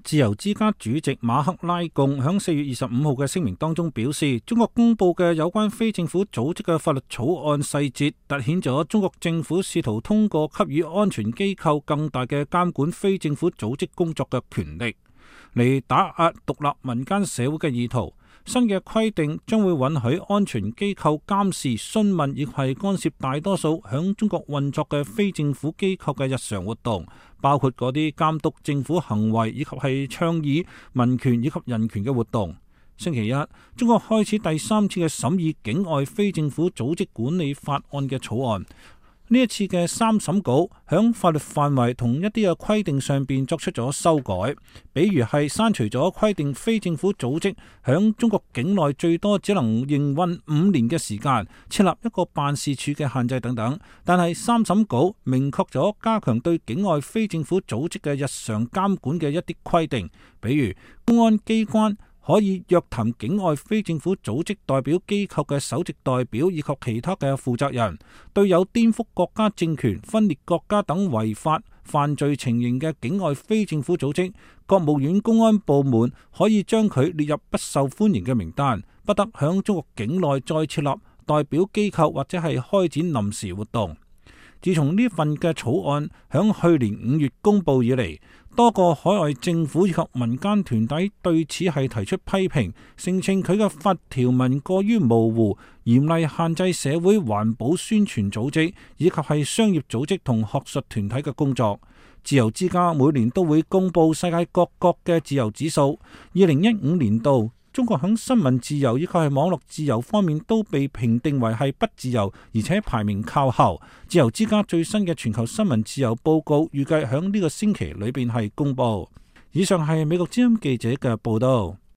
自由之家主席馬克拉貢響4月25號嘅聲明當中表示，中國公布嘅有關非政府組織嘅法律草案細節，凸顯咗中國政府試圖通過給予安全機構更大嘅監管非政府組織工作嘅權力，嚟打壓獨立民間社會嘅意圖。新嘅規定將會允許安全機構監視、詢問亦係干涉大多數響中國運作嘅非政府機構嘅日常活動，包括嗰啲監督政府行為以及係倡議民權以及人權嘅活動。星期一，中國開始第3次嘅審議境外非政府組織管理法案嘅草案。呢一次嘅3審稿響法律範圍同一啲嘅規定上邊作出咗修改，比如係刪除咗規定非政府組織響中國境內最多只能營運5年嘅時間，設立一個辦事處嘅限制等等。但係3審稿明確咗加強對境外非政府組織嘅日常監管嘅一啲規定，比如公安機關可以約談境外非政府組織代表機構嘅首席代表以及其他嘅負責人，對有顛覆國家政權、分裂國家等違法犯罪情形嘅境外非政府組織，國務院公安部門可以將佢列入不受歡迎嘅名單，不得響中國境內再設立代表機構或者係開展臨時活動。自從呢份嘅草案響去年5月公布以嚟，多個海外政府以及民間團體對此係提出批評，聲稱佢嘅法條文過於模糊，嚴厲限制社會環保宣傳組織以及係商業組織同學術團體嘅工作。自由之家每年都會公布世界各國嘅自由指數，2015年度中國喺新聞自由以及係網絡自由方面都被評定為係不自由，而且排名靠後。自由之家最新嘅全球新聞自由報告預計喺呢個星期裏邊係公布。以上係美國之音記者嘅報道。